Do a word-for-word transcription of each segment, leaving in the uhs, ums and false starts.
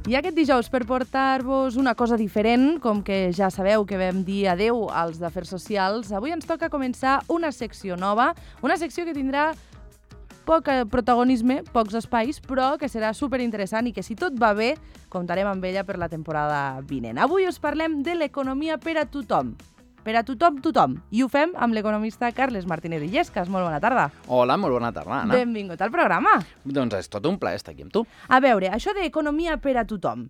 I aquest dijous, per portar-vos una cosa diferent, com que ja sabeu que vam dir adeu als d'Afers Socials, avui ens toca començar una secció nova, una secció que tindrà poc protagonisme, pocs espais, però que serà superinteressant i que, si tot va bé, comptarem amb ella per la temporada vinent. Avui us parlem de l'economia per a tothom. Per a tothom, tothom. I ho fem amb l'economista Carles Martínez Illescas. Molt bona tarda. Hola, molt bona tarda, Anna. Benvingut al programa. Doncs és tot un plaer estar aquí amb tu. A veure, això d'economia per a tothom.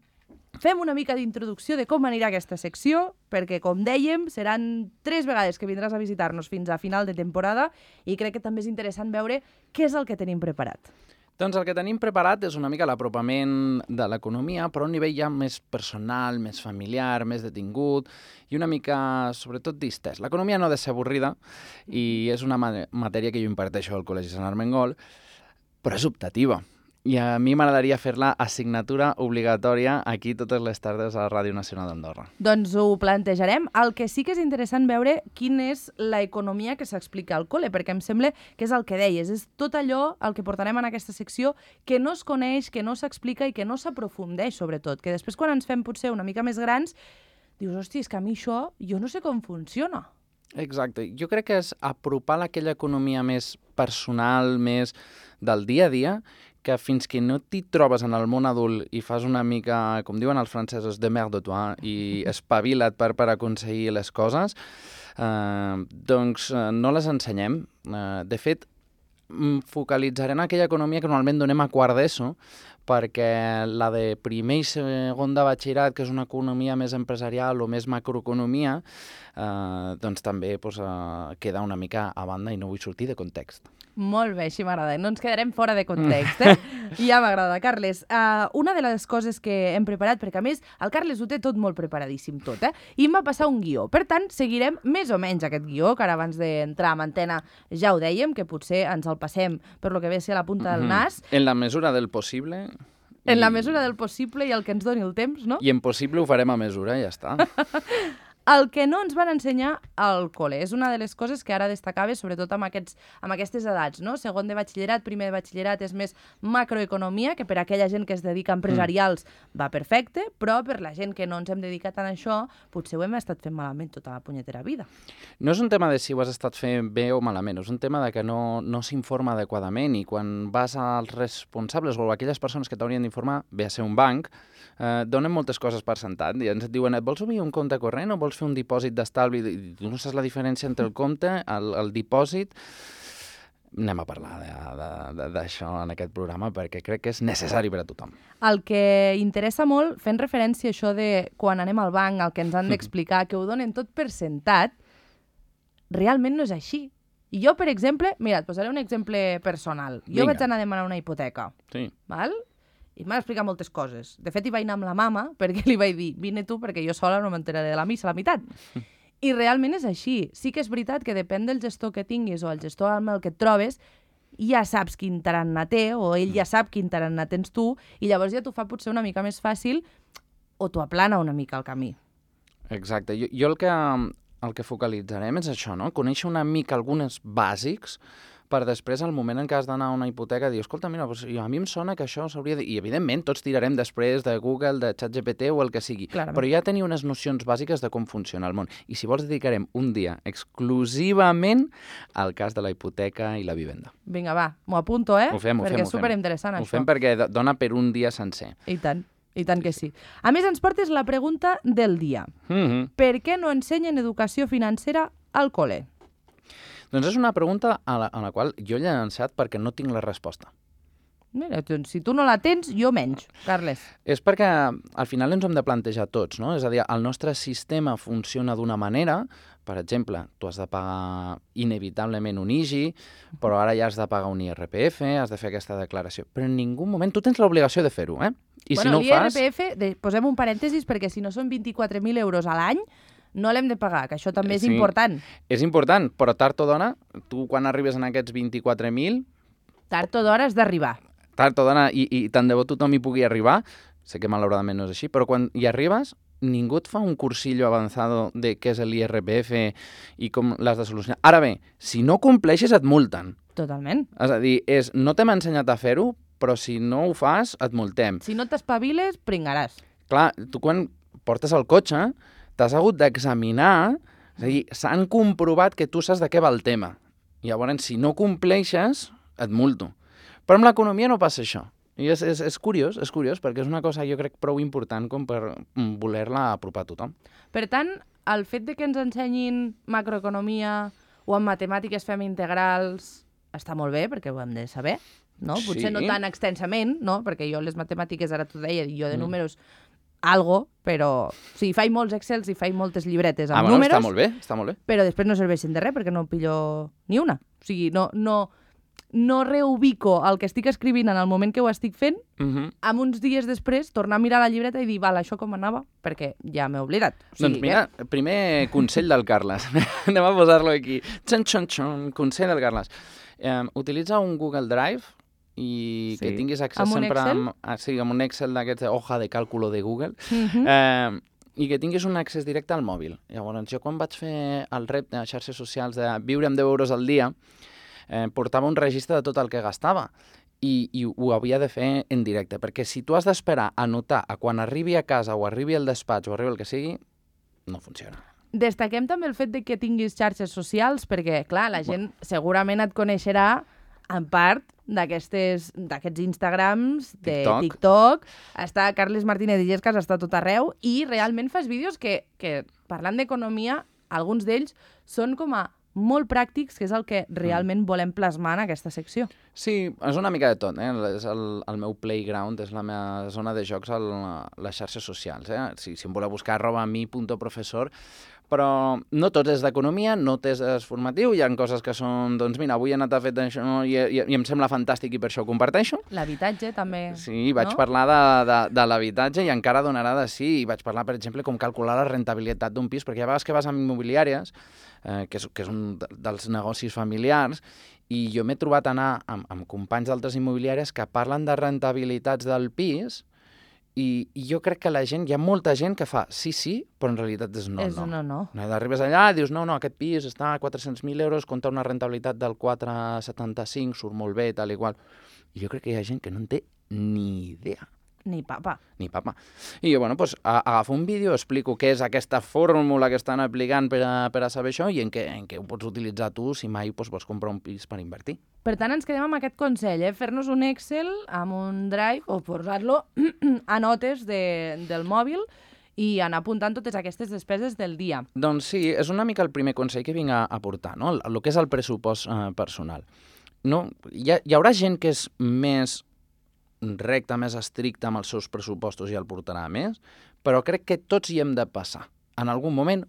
Fem una mica d'introducció de com anirà aquesta secció, perquè, com dèiem, seran tres vegades que vindràs a visitar-nos fins a final de temporada i crec que també és interessant veure què és el que tenim preparat. Doncs el que tenim preparat és una mica l'apropament de l'economia, però a un nivell ja més personal, més familiar, més detingut i una mica, sobretot, distès. L'economia no ha de ser avorrida i és una matèria que jo imparteixo al Col·legi Sant Armengol, però és optativa. I a mi m'agradaria fer-la assignatura obligatòria aquí totes les tardes a la Ràdio Nacional d'Andorra. Doncs ho plantejarem. El que sí que és interessant veure quina és l'economia que s'explica al col·le, perquè em sembla que és el que deies, és tot allò el que portarem en aquesta secció que no es coneix, que no s'explica i que no s'aprofundeix, sobretot, que després quan ens fem potser una mica més grans, dius, hosti, és que a mi això jo no sé com funciona. Exacte. Jo crec que és apropar aquella economia més personal, més del dia a dia, que fins que no t'hi trobes en el món adult i fas una mica, com diuen els francesos, de merde de toi, i espavila't per, per aconseguir les coses, eh, doncs eh, no les ensenyem. Eh, de fet, focalitzaré en aquella economia que normalment donem a quart d'ESO, perquè la de primer i segon de batxillerat, que és una economia més empresarial o més macroeconomia, eh, doncs també doncs, eh, queda una mica a banda i no vull sortir de context. Molt bé, així m'agrada. No ens quedarem fora de context, eh? Ja m'agrada. Carles, uh, una de les coses que hem preparat, perquè a més el Carles ho té tot molt preparadíssim tot, eh? I em va passar un guió. Per tant, seguirem més o menys aquest guió, que ara abans d'entrar en antena ja ho dèiem, que potser ens el passem per lo que ve a ser la punta del nas. En la mesura del possible... En I... la mesura del possible i el que ens doni el temps, no? I en possible ho farem a mesura, ja està. El que no ens van ensenyar al col·le. És una de les coses que ara destacava, sobretot amb, aquests, amb aquestes edats, no? Segon de batxillerat, primer de batxillerat és més macroeconomia, que per a aquella gent que es dedica a empresarials mm. va perfecte, però per la gent que no ens hem dedicat a això, potser ho hem estat fent malament tota la punyetera vida. No és un tema de si ho has estat fent bé o malament, és un tema de que no, no s'informa adequadament i quan vas als responsables o a aquelles persones que t'haurien d'informar, ve a ser un banc, eh, donen moltes coses per sentat i ens et diuen, et vols obrir un compte corrent o vols fer un dipòsit d'estalvi, i tu no saps la diferència entre el compte, el, el dipòsit. Anem a parlar d'això en aquest programa perquè crec que és necessari per a tothom. El que interessa molt, fent referència a això de quan anem al banc, el que ens han d'explicar, que ho donen tot per sentat, realment no és així. I jo, per exemple, mira, et posaré un exemple personal. Jo Vinga. vaig anar a demanar una hipoteca, sí. val? I m'ha explicat moltes coses. De fet, hi vaig anar amb la mama perquè li vaig dir, vine tu perquè jo sola no m'enteraré de la missa a la meitat. I realment és així. Sí que és veritat que depèn del gestor que tinguis o el gestor amb el que et trobes, ja saps quin tarannà té o ell ja sap quin tarannà tens tu i llavors ja t'ho fa potser una mica més fàcil o t'ho aplana una mica el camí. Exacte. Jo, jo el, que, el que focalitzarem és això, no? Conèixer una mica alguns bàsics per després, al moment en què has d'anar a una hipoteca, dir, escolta, mira, doncs, a mi em sona que això s'hauria de... I, evidentment, tots tirarem després de Google, de ChatGPT o el que sigui. Clarament. Però ja tenir unes nocions bàsiques de com funciona el món. I si vols, dedicarem un dia exclusivament al cas de la hipoteca i la vivenda. Vinga, va, m'ho apunto, eh? Ho fem, ho perquè fem, és superinteressant, ho això. Ho fem perquè dona per un dia sencer. I tant, i tant que sí. A més, ens portes la pregunta del dia. Mm-hmm. Per què no ensenyen educació financera al col·le? Doncs és una pregunta a la, a la qual jo he llançat perquè no tinc la resposta. Mira, si tu no la tens, jo menys, Carles. És perquè al final ens ho hem de plantejar tots, no? És a dir, el nostre sistema funciona d'una manera, per exemple, tu has de pagar inevitablement un I G I, però ara ja has de pagar un I R P F, has de fer aquesta declaració. Però en ningú moment tu tens l'obligació de fer-ho, eh? I bueno, si no ho fas... l'I R P F, de, posem un parèntesis, perquè si no són vint-i-quatre mil euros a l'any, no l'hem de pagar, que això també és sí, important. És important, però tard o d'hora, tu quan arribes en aquests vint-i-quatre mil... Tard o d'hora has d'arribar. Tard o d'hora, i, i tant de bo tothom hi pugui arribar, sé que malauradament no és així, però quan hi arribes, ningú et fa un cursillo avançado de què és l'I R P F i com l'has de solucionar. Ara bé, si no compleixes et multen. Totalment. És a dir, és, no t'hem ensenyat a fer-ho, però si no ho fas, et multem. Si no t'espaviles, pringaràs. Clar, tu quan portes el cotxe, t'has hagut d'examinar, és a dir, s'han comprovat que tu saps de què va el tema. Llavors, si no compleixes, et multo. Però amb l'economia no passa això. I és, és, és curiós, és curiós, perquè és una cosa, jo crec, prou important com per voler-la apropar a tothom. Per tant, el fet de que ens ensenyin macroeconomia o en matemàtiques fem integrals està molt bé, perquè ho hem de saber, no? Potser Sí. no tan extensament, no? Perquè jo les matemàtiques, ara t'ho deia, jo de Mm. números algo, però sí, faig molts excels i faig moltes llibretes amb Ah, bueno, números, està molt bé, està molt bé. però després no serveixen de res perquè no pillo ni una. O sigui, no, no, no reubico el que estic escrivint en el moment que ho estic fent, Uh -huh. amb uns dies després tornar a mirar la llibreta i dir, val, això com anava? Perquè ja m'he oblidat. O sigui, Doncs mira, primer consell del Carles. Anem a posar-lo aquí. Txon, txon, txon, consell del Carles. Eh, utilitza un Google Drive i Sí. que tinguis accés Amb un sempre Excel? amb, ah, sí, amb un Excel d'aquests de hoja de càlculo de Google, Eh? Uh-huh. eh, i que tinguis un accés directe al mòbil. Llavors, jo quan vaig fer el repte a xarxes socials de viure amb deu euros al dia, eh, portava un registre de tot el que gastava i, i ho havia de fer en directe, perquè si tu has d'esperar a notar a quan arribi a casa o arribi al despatx o arribi el que sigui, no funciona. Destaquem també el fet de que tinguis xarxes socials, perquè, clar, la gent segurament et coneixerà en part d'aquestes d'aquests Instagrams, de TikTok. TikTok. Està Carles Martínez Illescas, està a tot arreu, i realment fas vídeos que, que parlant d'economia, alguns d'ells són com a molt pràctics, que és el que realment volem plasmar en aquesta secció. Sí, és una mica de tot, eh? És el, el meu playground, és la meva zona de jocs a les xarxes socials, eh? Si, si em voleu buscar, arroba mi punto professor, però no tot és d'economia, no tot és formatiu, hi ha coses que són, doncs mira, avui he anat a fer això i, i, i em sembla fantàstic i per això ho comparteixo. L'habitatge també, Sí, vaig no? parlar de, de, de l'habitatge i encara donarà de sí, i vaig parlar, per exemple, com calcular la rentabilitat d'un pis, perquè hi ha vegades que vas a immobiliàries, eh, que, és, que és un dels negocis familiars, i jo m'he trobat anar amb, amb companys d'altres immobiliàries que parlen de rentabilitats del pis i, i jo crec que la gent, hi ha molta gent que fa sí, sí, però en realitat és no, és no. no, no. No, arribes allà i dius, no, no, aquest pis està a quatre-cents mil euros, compta una rentabilitat del quatre coma setanta-cinc, surt molt bé, tal i qual. I jo crec que hi ha gent que no en té ni idea. Ni papa. Ni papa. I jo, bueno, doncs, a- agafo un vídeo, explico què és aquesta fórmula que estan aplicant per a, per a saber això i en què, en què ho pots utilitzar tu si mai doncs, vols comprar un pis per invertir. Per tant, ens quedem amb aquest consell, eh? Fer-nos un Excel amb un Drive o posar-lo a notes de, del mòbil i anar apuntant totes aquestes despeses del dia. Doncs sí, és una mica el primer consell que vinc a aportar, no? El, el que és el pressupost eh, personal. No? Hi, ha, hi haurà gent que és més recta, més estricta amb els seus pressupostos i el portarà més, però crec que tots hi hem de passar. En algun moment,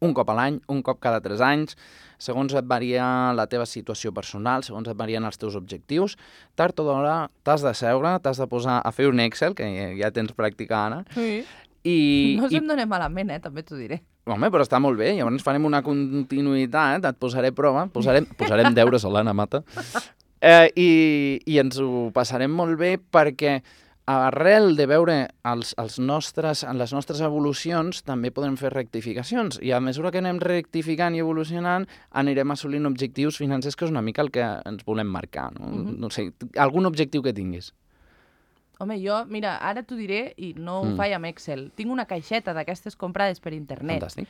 un cop a l'any, un cop cada tres anys, segons et varia la teva situació personal, segons et varien els teus objectius, tard o d'hora t'has de seure, t'has de posar a fer un Excel, que ja tens pràctica, Anna, Sí. i... No i se'm dona malament, eh? També t'ho diré. home, però està molt bé, llavors farem una continuïtat, et posaré a prova, posarem, posarem deures a l'Anna Mata, eh, i, i ens ho passarem molt bé perquè arrel de veure els, els nostres, les nostres evolucions també podem fer rectificacions i a mesura que anem rectificant i evolucionant anirem assolint objectius financers que és una mica el que ens volem marcar. No, Mhm. no sé, algun objectiu que tinguis. Home, jo, mira, ara t'ho diré i no ho Mm. faig amb Excel. Tinc una caixeta d'aquestes comprades per internet, Fantàstic.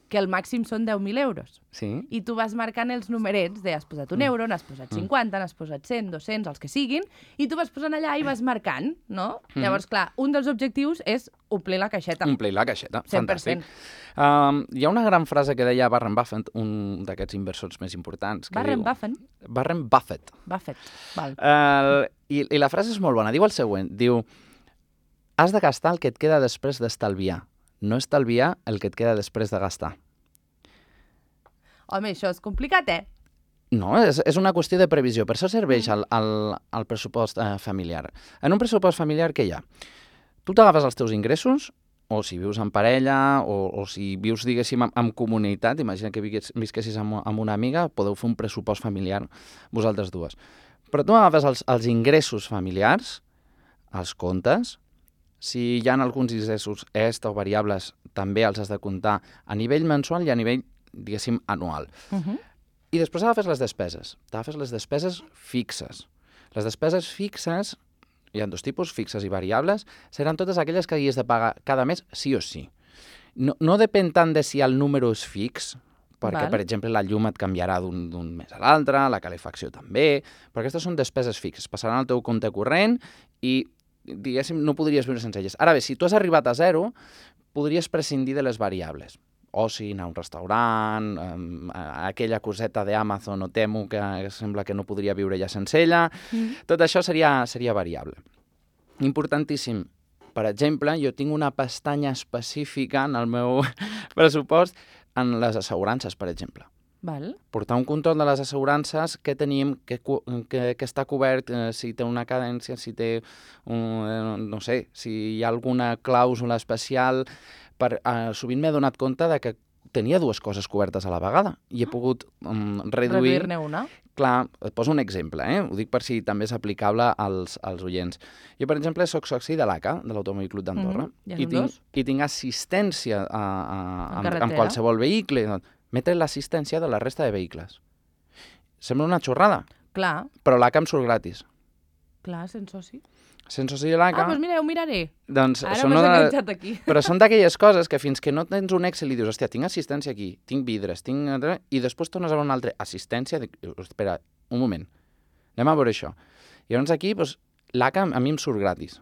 que el màxim són deu mil euros. Sí. I tu vas marcant els numerets de has posat un Mm. euro, n'has posat cinquanta, n'has posat cent, dos-cents, els que siguin, i tu vas posant allà i vas marcant, no? Mm. Llavors, clar, un dels objectius és omplir la caixeta. Omplir la caixeta. cent per Fantàstic. cent. Um, hi ha una gran frase que deia Warren Buffett, un d'aquests inversors més importants. Que Warren diu, Buffett. Warren Buffett. Buffett, val. Uh, i, I la frase és molt bona. Diu el següent. Diu, has de gastar el que et queda després d'estalviar. No estalviar el que et queda després de gastar. Home, això és complicat, eh? No, és, és una qüestió de previsió. Per això serveix el, el, el pressupost eh, familiar. En un pressupost familiar, què hi ha? Tu t'agafes els teus ingressos, o si vius en parella, o, o si vius, diguéssim, en, en comunitat, imagina que vigues, visquessis amb, amb una amiga, podeu fer un pressupost familiar vosaltres dues. Però tu agafes els, els ingressos familiars, els comptes, si hi ha alguns ingressos extra o variables, també els has de comptar a nivell mensual i a nivell, diguéssim, anual. Uh -huh. I després agafes les despeses. T'agafes les despeses fixes. Les despeses fixes, hi ha dos tipus, fixes i variables, seran totes aquelles que hagis de pagar cada mes sí o sí. No, no depèn tant de si el número és fix, perquè, Val. per exemple, la llum et canviarà d'un mes a l'altre, la calefacció també, però aquestes són despeses fixes, passaran al teu compte corrent i, diguéssim, no podries viure sense elles. Ara bé, si tu has arribat a zero, podries prescindir de les variables. Oci, anar a un restaurant, um, aquella coseta d'Amazon o Temu que sembla que no podria viure ja sense ella, mm. tot això seria, seria variable. Importantíssim. Per exemple, jo tinc una pestanya específica en el meu pressupost en les assegurances, per exemple. Val. Portar un control de les assegurances que tenim, que, que, que està cobert, eh, si té una cadència, si té, un, eh, no sé, si hi ha alguna clàusula especial. Per, eh, sovint m'he donat compte de que tenia dues coses cobertes a la vegada i he pogut um, reduir... Reduir-ne una. Clar, et poso un exemple, eh? Ho dic per si també és aplicable als, als oients. Jo, per exemple, soc soci de l'A C A, de l'Automòbil Club d'Andorra, mm-hmm. ja i, tinc, i tinc assistència a, a, en, en, en qualsevol vehicle. M'he tret l'assistència de la resta de vehicles. Sembla una xorrada, Clar. però l'A C A em surt gratis. Clar, sense soci. Sense soci de l'A C A... Ah, doncs mira, ho miraré. Doncs Ara són m'has una... enganxat aquí. Però són d'aquelles coses que fins que no tens un Excel i dius, hòstia, tinc assistència aquí, tinc vidres, tinc... I després tornes a veure una altra assistència, dic, espera, un moment, anem a veure això. I llavors aquí, doncs, l'A C A a mi em surt gratis.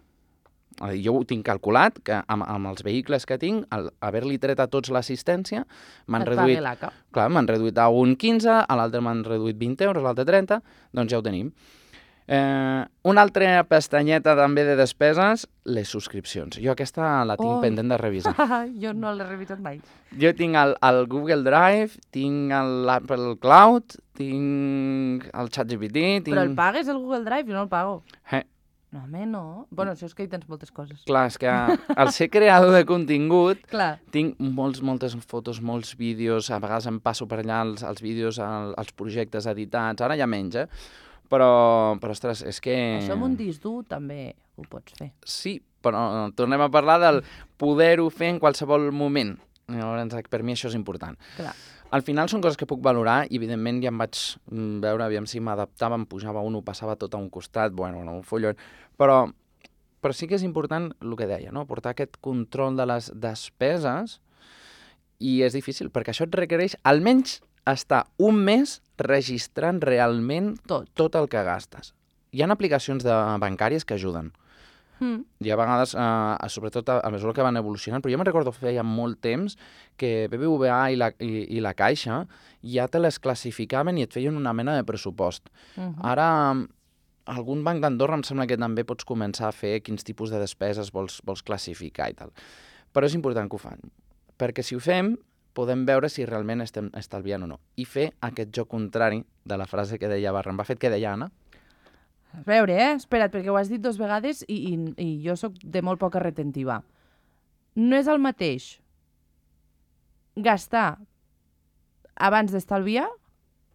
Jo ho tinc calculat, que amb, amb els vehicles que tinc, al haver-li tret a tots l'assistència, m'han reduït... l'A C A. Clar, m'han reduït a un quinze, a l'altre m'han reduït vint euros, a l'altre trenta, doncs ja ho tenim. Eh, una altra pestanyeta també de despeses, les subscripcions. Jo aquesta la tinc oh. pendent de revisar. Jo no l'he revisat mai. Jo tinc el, el Google Drive, tinc l'Apple Cloud, tinc el ChatGPT... Tinc... Però el pagues, el Google Drive? Jo no el pago. Eh. No, home, no. Bueno, això és que hi tens moltes coses. Clar, és que al ser creador de contingut Clar. tinc molts, moltes fotos, molts vídeos, a vegades em passo per allà els, els vídeos, el, els projectes editats, ara ja menys, eh? Però, però, ostres, és que... Això amb un disc dur també ho pots fer. Sí, però tornem a parlar del poder-ho fer en qualsevol moment. Llavors, per mi això és important. Clar. Al final són coses que puc valorar i, evidentment, ja em vaig veure, aviam si m'adaptava, em pujava un, ho passava tot a un costat, bueno, un follon, però, però sí que és important el que deia, no? Portar aquest control de les despeses i és difícil, perquè això et requereix almenys estar un mes registrant realment tot, tot el que gastes. Hi ha aplicacions de bancàries que ajuden. Mm. I a vegades, eh, sobretot a, a mesura que van evolucionant, però jo me'n recordo feia molt temps que B B V A i la, i, i la Caixa ja te les classificaven i et feien una mena de pressupost. Uh-huh. Ara, algun banc d'Andorra em sembla que també pots començar a fer quins tipus de despeses vols, vols classificar i tal. Però és important que ho fan, perquè si ho fem podem veure si realment estem estalviant o no. I fer aquest joc contrari de la frase que deia Warren Buffett, que deia Anna. A veure, eh? Espera't, perquè ho has dit dos vegades i, i, i jo sóc de molt poca retentiva. No és el mateix gastar abans d'estalviar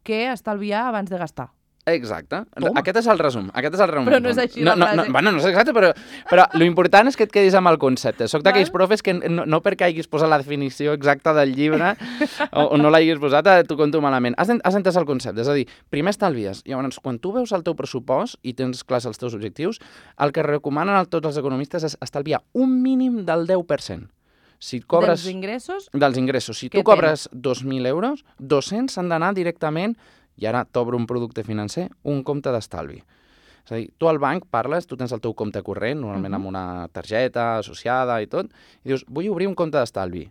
que estalviar abans de gastar. Exacte. Toma. Aquest és el resum. Aquest és el resum. Però no és així no, la frase. No, no, bueno, no és exacte, però, però l'important és que et quedis amb el concepte. Soc d'aquells profes que no, no perquè hagis posat la definició exacta del llibre o, o no l'hagis posat, t'ho conto malament. Has, has entès el concepte. És a dir, primer estalvies. Llavors, quan tu veus el teu pressupost i tens clars els teus objectius, el que recomanen tots els economistes és estalviar un mínim del deu per cent. Si cobres... Dels ingressos? Dels ingressos. Si tu cobres dos mil euros, dos-cents s'han d'anar directament, i ara t'obro un producte financer, un compte d'estalvi. És a dir, tu al banc parles, tu tens el teu compte corrent, normalment uh-huh. amb una targeta associada i tot, i dius, vull obrir un compte d'estalvi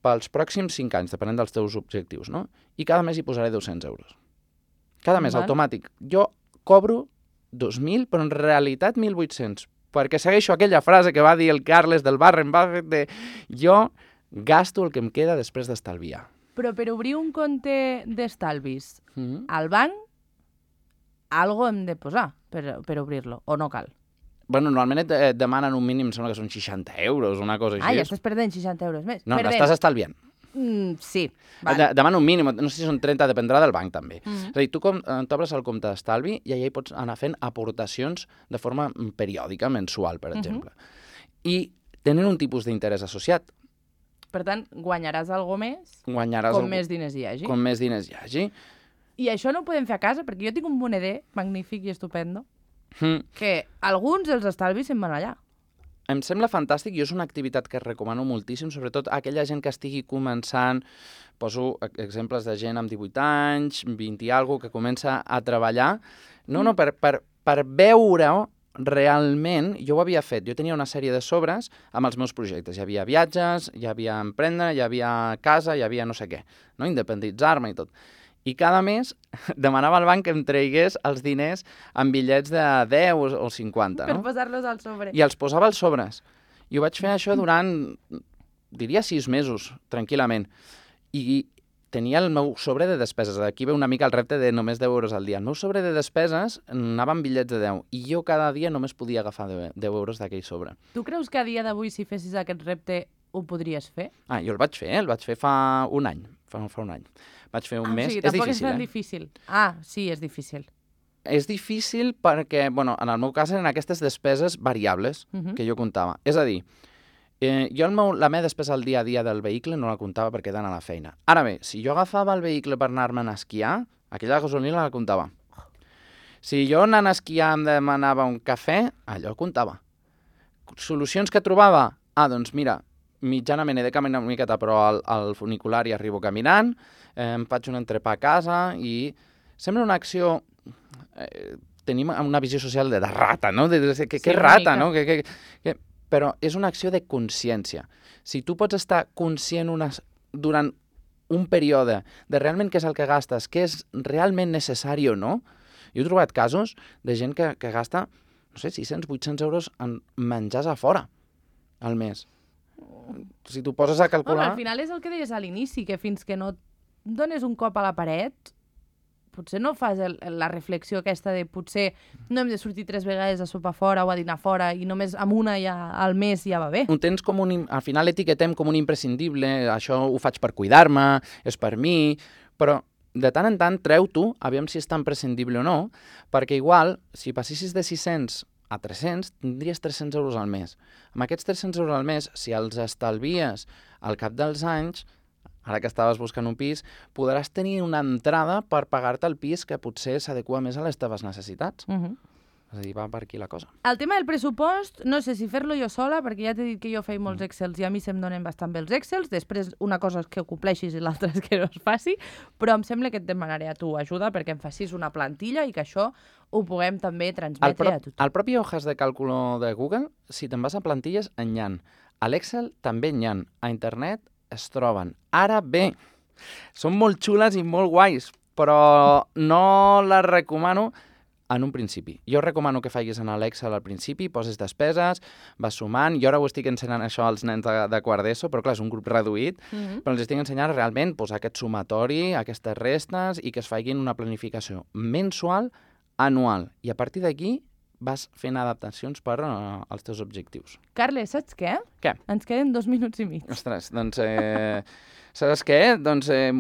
pels pròxims cinc anys, depenent dels teus objectius, no? I cada mes hi posaré dos-cents euros. Cada mes, Val. automàtic. Jo cobro dos mil, però en realitat mil vuit-cents, perquè segueixo aquella frase que va dir el Carles del Warren Buffett de jo gasto el que em queda després d'estalviar. Però per obrir un compte d'estalvis mm-hmm. al banc, algo hem de posar per, per obrir-lo, o no cal? Bueno, normalment et, et demanen un mínim, sembla que són seixanta euros, una cosa així. Ah, ja estàs perdent seixanta euros més. No, l'estàs estalviant. Mm, sí. Vale. De, demana un mínim, no sé si són trenta, dependrà del banc també. Mm-hmm. És a dir, tu com t'obres el compte d'estalvi i allà hi pots anar fent aportacions de forma periòdica, mensual, per exemple. Mm-hmm. I tenen un tipus d'interès associat. Per tant, guanyaràs alguna més guanyaràs com algú... més diners hi hagi. Com més diners hi hagi. I això no ho podem fer a casa, perquè jo tinc un moneder magnífic i estupendo. Mm. que alguns dels estalvis se'n van allà. Em sembla fantàstic i és una activitat que recomano moltíssim, sobretot a aquella gent que estigui començant, poso exemples de gent amb divuit anys, vint i alguna que comença a treballar, no, no, per, per, per veure realment, jo ho havia fet, jo tenia una sèrie de sobres amb els meus projectes, hi havia viatges, hi havia emprendre, hi havia casa, hi havia no sé què, no? Independitzar-me i tot. I cada mes demanava al banc que em traigués els diners en bitllets de deu o cinquanta, no? Per posar-los al sobre. I els posava als sobres. I ho vaig fer això durant, diria, sis mesos, tranquil·lament. I tenia el meu sobre de despeses. Aquí ve una mica el repte de només deu euros al dia. El meu sobre de despeses anava en bitllets de deu. I jo cada dia només podia agafar deu euros d'aquell sobre. Tu creus que a dia d'avui, si fessis aquest repte, ho podries fer? Ah, jo el vaig fer, eh? El vaig fer fa un any. Fa, fa un any. Vaig fer un ah, mes. O sigui, és tampoc difícil, és tan eh? difícil. Ah, sí, és difícil. És difícil perquè, bueno, en el meu cas eren aquestes despeses variables uh -huh. que jo comptava. És a dir, eh, jo el meu, la meva despesa al dia a dia del vehicle no la comptava perquè he d'anar a la feina. Ara bé, si jo agafava el vehicle per anar-me'n a esquiar, aquella gasolina la comptava. Si jo anant a esquiar em demanava un cafè, allò comptava. Solucions que trobava? Ah, doncs mira, mitjanament he de caminar una miqueta, però al, al funicular hi arribo caminant, eh, em faig un entrepà a casa i sembla una acció... Eh, tenim una visió social de, de rata, no? De, de, de, que, Sí, que una rata, mica. no? Que, que, que... Però és una acció de consciència. Si tu pots estar conscient unes, durant un període de realment què és el que gastes, què és realment necessari o no, jo he trobat casos de gent que, que gasta, no sé, sis-cents, vuit-cents euros en menjars a fora al mes. Si tu poses a calcular... Home, al final és el que deies a l'inici, que fins que no dones un cop a la paret, potser no fas el, la reflexió aquesta de potser no hem de sortir tres vegades a sopar fora o a dinar fora i només amb una ja al mes ja va bé. Ho tens com un... Al final etiquetem com un imprescindible, això ho faig per cuidar-me, és per mi, però de tant en tant treu-t'ho, aviam si és tan prescindible o no, perquè igual, si passessis de sis-cents a tres-cents, tindries tres-cents euros al mes. Amb aquests tres-cents euros al mes, si els estalvies al cap dels anys, ara que estaves buscant un pis, podràs tenir una entrada per pagar-te el pis que potser s'adequa més a les teves necessitats. Uh -huh. És a dir, va per aquí la cosa. El tema del pressupost, no sé si fer-lo jo sola, perquè ja t'he dit que jo faig molts Excels i a mi se'm donen bastant bé els Excels, després una cosa és que ho compleixis i l'altra és que no es faci, però em sembla que et demanaré a tu ajuda perquè em facis una plantilla i que això ho puguem també transmetre el pro a tothom. El propi hojas de càlculo de Google, si te'n vas a plantilles, en hi ha. A l'Excel també n'hi ha. A internet es troben. Ara bé, són molt xules i molt guais, però no les recomano en un principi. Jo recomano que facis en l'Excel al principi, poses despeses, vas sumant, jo ara ho estic ensenyant això als nens de, de quart d'ESO, però clar, és un grup reduït, mm -hmm. però els estic ensenyant realment pues, aquest sumatori, aquestes restes i que es facin una planificació mensual, anual. I a partir d'aquí vas fent adaptacions per uh, als teus objectius. Carles, saps què? Què? Ens queden dos minuts i mig. Ostres, doncs... Eh... Saps què? Doncs eh,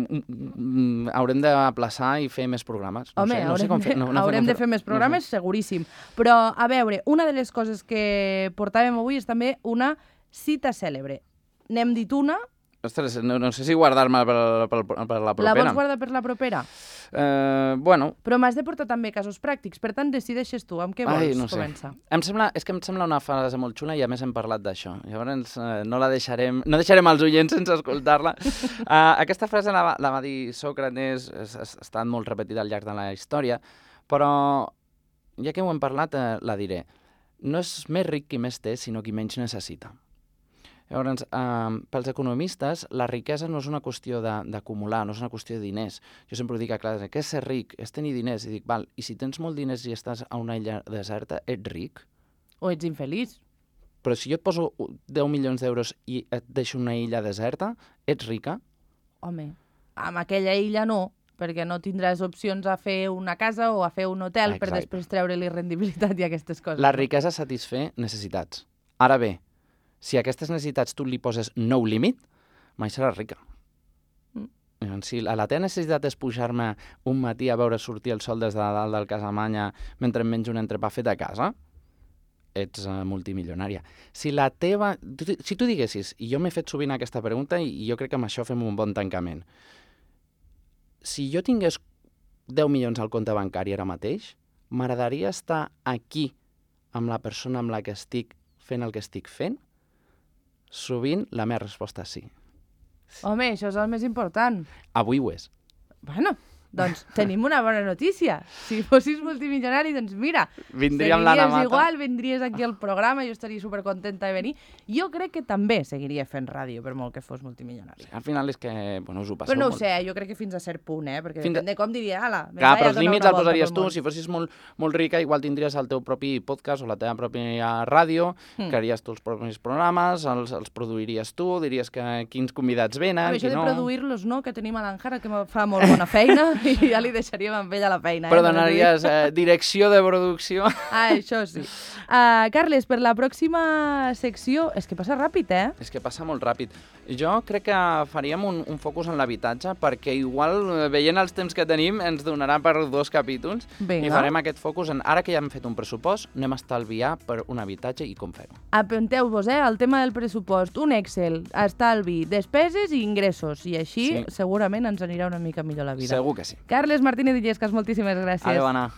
haurem d'aplaçar i fer més programes. No Home, sé, no haurem, sé com de, fer, no, no haurem com de fer més programes, no sé. Seguríssim. Però, a veure, una de les coses que portàvem avui és també una cita cèlebre. N'hem dit una... Ostres, no, no sé si guardar-me per, per, per la propera. La vols guardar per la propera? Eh, bueno... Però m'has de portar també casos pràctics, per tant, decideixes tu amb què vols Ai, no sé. començar. Em sembla, és que em sembla una frase molt xula i a més hem parlat d'això. Llavors eh, no la deixarem, no deixarem els oients sense escoltar-la. uh, aquesta frase la va, la va dir Sòcrates, ha estat molt repetida al llarg de la història, però ja que ho hem parlat, eh, la diré. No és més ric qui més té, sinó qui menys necessita. Llavors, eh, pels economistes, la riquesa no és una qüestió d'acumular, no és una qüestió de diners. Jo sempre ho dic a classe, què és ser ric? És tenir diners. I dic, val, i si tens molt diners i estàs a una illa deserta, ets ric? O ets infeliç? Però si jo et poso deu milions d'euros i et deixo una illa deserta, ets rica? Home, amb aquella illa no, perquè no tindràs opcions a fer una casa o a fer un hotel Exacte. per després treure-li rendibilitat i aquestes coses. La riquesa satisfer necessitats. Ara bé, si a aquestes necessitats tu li poses no límit, mai seràs rica. Mm. Si la teva necessitat és pujar-me un matí a veure sortir el sol des de dalt del Casamanya mentre em menjo un entrepà fet a casa, ets uh, multimilionària. Si la teva... Tu, si tu diguessis, i jo m'he fet sovint aquesta pregunta i, i jo crec que amb això fem un bon tancament, si jo tingués deu milions al compte bancari ara mateix, m'agradaria estar aquí amb la persona amb la que estic fent el que estic fent? Sovint la meva resposta és sí. Home, això és el més important. Avui ho és. Bueno, doncs tenim una bona notícia. Si fossis multimilionari, doncs mira, Vindríem l'Anna Mata. igual, vindries aquí al programa, jo estaria supercontenta de venir. Jo crec que també seguiria fent ràdio, per molt que fos multimilionari. Al final és que, bueno, us ho passeu Però no ho molt. sé, jo crec que fins a cert punt, eh? Perquè Fins a- depèn de com diria, ala, me'n Clar, vaig però a els donar límits una els volta posaries pel tu. món. Si fossis molt, molt rica, igual tindries el teu propi podcast o la teva pròpia ràdio, Mm. crearies tu els propis programes, els, els produiries tu, diries que quins convidats venen, Però això qui de no... produir-los, no, que tenim a l'Àngara, que fa molt bona feina, i ja li deixaríem amb ella la feina. Però eh? donaries eh, direcció de producció. Ah, això sí. Uh, Carles, per la pròxima secció... És que passa ràpid, eh? És que passa molt ràpid. Jo crec que faríem un, un focus en l'habitatge, perquè igual, eh, veient els temps que tenim, ens donarà per dos capítols. Vinga. I farem aquest focus en, ara que ja hem fet un pressupost, anem a estalviar per un habitatge i com fer-ho. Apunteu-vos, eh, el tema del pressupost. Un Excel, estalvi, despeses i ingressos. I així Sí. segurament ens anirà una mica millor la vida. Segur que sí. Carles Martínez Illescas, moltíssimes gràcies. Adéu, Anna.